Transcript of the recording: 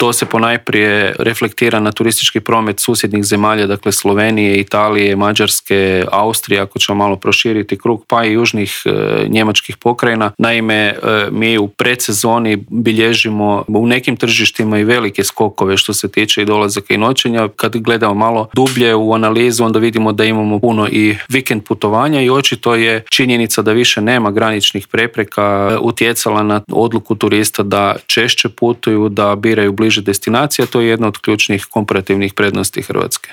To se ponajprije reflektira na turistički promet susjednih zemalja, dakle Slovenije, Italije, Mađarske, Austrije, ako ćemo malo proširiti krug, pa i južnih njemačkih pokrajina. Naime, mi u predsezoni bilježimo u nekim tržištima i velike skokove što se tiče i dolazaka i noćenja. Kad gledamo malo dublje u analizu, onda vidimo da imamo puno i vikend putovanja i očito je činjenica da više nema graničnih prepreka utjecala na odluku turista da češće putuju, da biraju bliže destinacije. To je jedna od ključnih komparativnih prednosti Hrvatske.